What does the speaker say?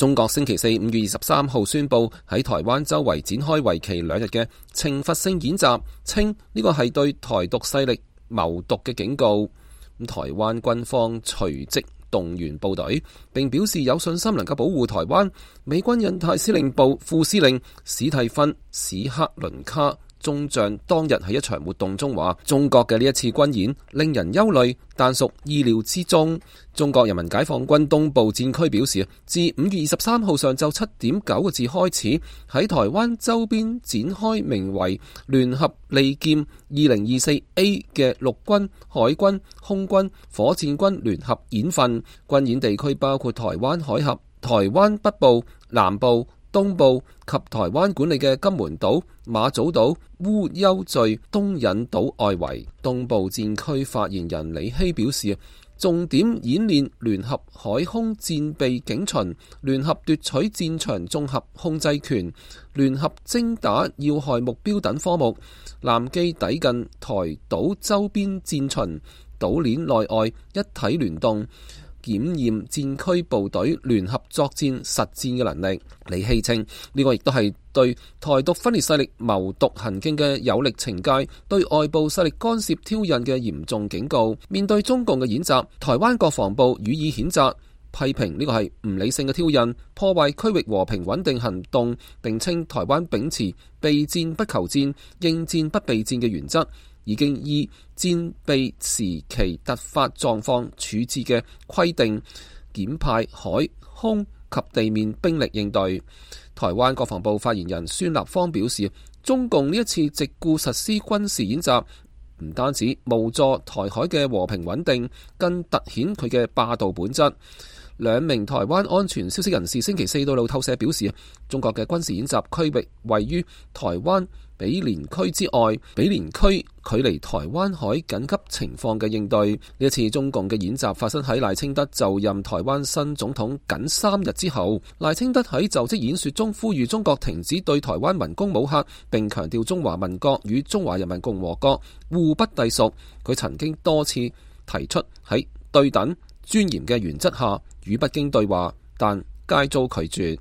中國星期四5月23號宣布喺台灣周圍展開為期2日嘅懲罰性演習，稱呢個係對台獨勢力謀獨嘅警告。台灣軍方隨即動員部隊，並表示有信心能夠保護台灣。美軍印太司令部副司令史蒂芬史克倫卡中將當日喺一場活動中話，中國嘅呢一次軍演令人憂慮，但屬意料之中。中國人民解放軍東部戰區表示，自5月23號上晝7點9個字開始，喺台灣周邊展開名為聯合利劍 2024A 嘅陸軍、海軍、空軍、火箭軍聯合演訓。軍演地區包括台灣海峽、台灣北部、南部、東部及台灣管理嘅金門島、馬祖島、烏丘敘、東引島外圍。東部戰區發言人李希表示，重點演練聯合海空戰備警巡、聯合奪取戰場綜合控制權、聯合精打要害目標等科目，艦機抵近台島周邊戰巡、島鏈內外一體聯動，檢驗戰區部隊聯合作戰實戰嘅能力。李希稱呢個亦都係對台獨分裂勢力謀獨行徑嘅有力懲戒，對外部勢力干涉挑釁嘅嚴重警告。面對中共嘅演習，台灣國防部予以譴責，批評呢個係唔理性嘅挑釁，破壞區域和平穩定行動，並稱台灣秉持備戰不求戰、應戰不備戰嘅原則，已經依戰備時期突發狀況處置嘅規定，檢派海空及地面兵力應對。台灣國防部發言人孫立方表示，中共呢一次藉故實施軍事演習，唔單止無助台海嘅和平穩定，更凸顯佢嘅霸道本質。兩名台灣安全消息人士星期四到路透社表示，中國嘅軍事演習區域位於台灣比連區之外，比連區距離台灣海緊急情況嘅應對。呢一次中共嘅演習發生喺賴清德就任台灣新總統僅3日之後。賴清德喺就職演說中呼籲中國停止對台灣文攻武嚇，並強調中華民國與中華人民共和國互不隸屬。佢曾經多次提出喺對等尊嚴嘅原則下與北京對話，但皆遭拒絕。